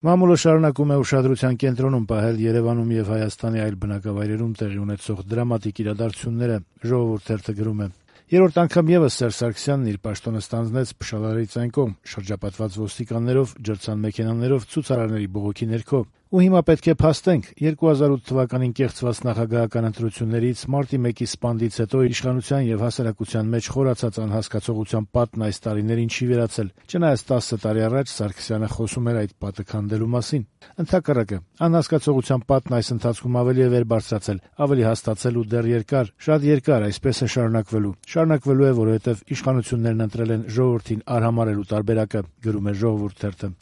Մամուլը շարունակում է ուշադրության կենտրոնում պահել Երևանում եւ Հայաստանի այլ բնակավայրերում տեղի ունեցող դրամատիկ իրադարձությունները, Ժողովուրդ թերթը գրում է. Երրորդ անգամ եւս Սերժ Սարգսյանն իր պաշտոնը ստանձնեց Փշալարից այն կողմ, շրջապատված ոստիկաններով, ջրցան մեքենաներով, ցուցարարների բողոքի ներքո։ Ու հիմա պետք է փաստենք 2008 թվականին կեղծված նախագահական ընտրություններից մարտի 1-ի սպանդից հետո իշխանության եւ հասարակության մեջ խորացած անհասկացողության պատն այս տարիներին չի վերացել, չնայած 10 տարի առաջ Սարգսյանը խոսում էր այդ պատը քանդելու մասին։ Ընդհակառակը, անհասկացողության պատն այս ընթացքում ավելի է վեր բարձրացել, ավելի հաստացել ու դեռ երկար, շատ երկար այսպես է շարունակվելու։ Շարունակվելու է, որովհետեւ իշխանություններն ընտրել են ժողովրդին արհամարելու տարբերակը, գրում է Ժողովուրդ թերթը։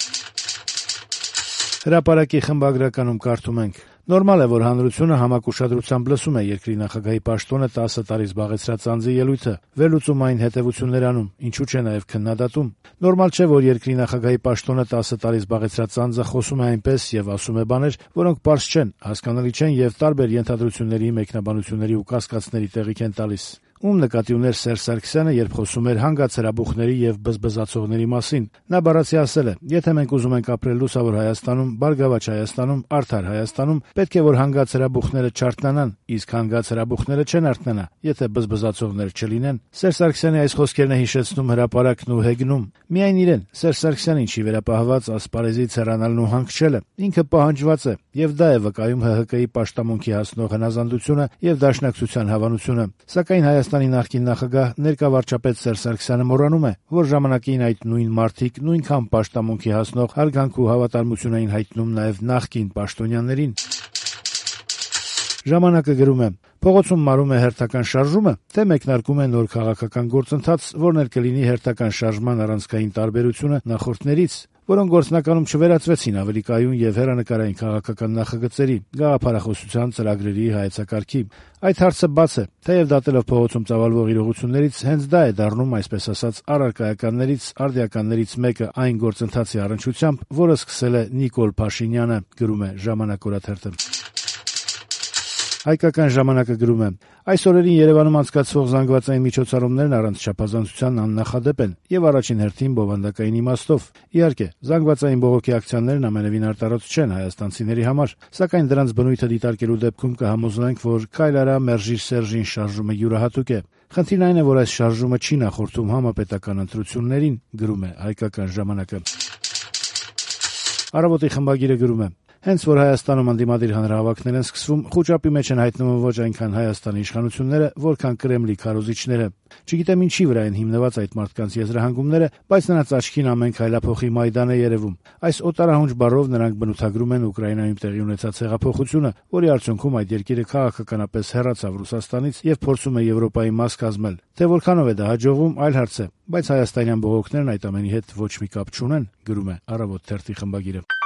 Հրապարակի խմբագրականում կարդում ենք. Նորմալ է, որ հանրությունը համակ ուշադրությամբ լսում է երկրի նախագահի պաշտոնը 10 տարի զբաղեցրած անձի ելույթը, վերլուծում այն հետևություններ անում, ինչու՞ չէ նաև քննադատում։ Նորմալ չէ, որ երկրի նախագահի պաշտոնը 10 տարի զբաղեցրած անձը խոսում է այնպես եւ ասում է բաներ, որոնք պարզ չեն, հասկանալի չեն եւ տարբեր ենթադրությունների, մեկնաբանությունների ու կասկածների տեղիք են տալիս։ Ում նկատի ուներ Սերժ Սարգսյանը, երբ խոսում էր հանգած հրաբուխների եւ բզբզացողների մասին։ Նա բառացի ասել է. եթե մենք ուզում ենք ապրել լուսավոր Հայաստանում, բարգավաճ Հայաստանում, արդար Հայաստանում, պետք է որ հանգած հրաբուխները չարթնանան, իսկ հանգած հրաբուխները չեն արթնանա, եթե բզբզացողներ չլինեն։ Սերժ Սարգսյանի այս խոսքերն է հիշեցնում հրապարակն ու հեգնում։ Միայն իրեն, Սերժ Սարգսյանին չի վերապահված ասպարեզից հեռանալն ու հանգչելը։ Ինքը պահանջված է, եւ դա է վկայում ՀՀԿ-ի պաշտամունքի հասնող հնազանդությունը եւ դաշնակցության հավանությունը։ Սակայն Հայաստանի նախկին նախագահ ներկա վարչապետ Սերժ Սարգսյանը մոռանում է, որ ժամանակին այդ նույն մարդիկ նույնքան պաշտամունքի հասնող հարգանք ու հավատարմություն էին հայտնում նաեւ նախկին պաշտոնյաներին։ Ժամանակը գրում է. Փողոցում մարում է հերթական շարժումը, թե մեկնարկում է նոր քաղաքական գործընթաց, որն էլ կլինի հերթական շարժման առանցքային տարբերությունը նախորդներից, որոնք գործնականում չվերածվեցին ավելի կայուն եւ հեռանկարային քաղաքական նախագծերի, գաղափարախոսության ծրագրերի հայեցակարգի։ Այդ հարցը բաց է, թեև դատելով փողոցում ծավալվող իրողություններից հենց դա է դառնում, այսպես ասած, առարկայականներից, արդիականներից մեկը այն գործընթացի առնչությամբ, որը սկսել է Նիկոլ Փաշինյանը, գրում է Ժամանակ օրաթերթը։ Հայկական ժամանակը գրում է. այս օրերին Երևանում անցկացվող զանգվածային միջոցառումներն առանց չափազանցության աննախադեպ են եւ առաջին հերթին բովանդակային իմաստով։ Իհարկե, զանգվածային բողոքի ակցիաներն ամենևին արտարոց չեն հայաստանցիների համար, սակայն դրանց բնույթը դիտարկելու դեպքում կհամոզվենք, որ «Քայլ արա, մերժիր Սերժին» շարժումը յուրահատուկ է։ Խնդիրն այն է, որ այս շարժումը չի նախորդում համապետական ընտրություններին, գրում է Հայկական ժամանակը։ Առավոտի խմբագիրը գրում է. Հենց որ Հայաստանում ընդդիմադիր հանրահավաքներ են սկսվում, խուճապի մեջ են հայտնվում ոչ այնքան Հայաստանի իշխանությունները, որքան Կրեմլի քարոզիչները։ Չգիտեմ ինչի վրա են հիմնված այդ մարդկանց եզրահանգումները, բայց նրանց աչքին ամեն քայլափոխի Մայդան է երևում։ Այս օտարահունչ բառով նրանք բնութագրում են Ուկրաինայում տեղի ունեցած հեղափոխությունը, որի արդյունքում այդ երկիրը քաղաքականապես հեռացավ Ռուսաստանից եւ փորձում է Եվրոպայի մաս կազմել։ Թե որքանով է դա հաջողվում, այլ հարց է, բայց հայաստանյան բողոքներն այդ ամենի հետ ոչ մի կապ չունեն, գրում է Առավոտ թերթի խմբագիրը։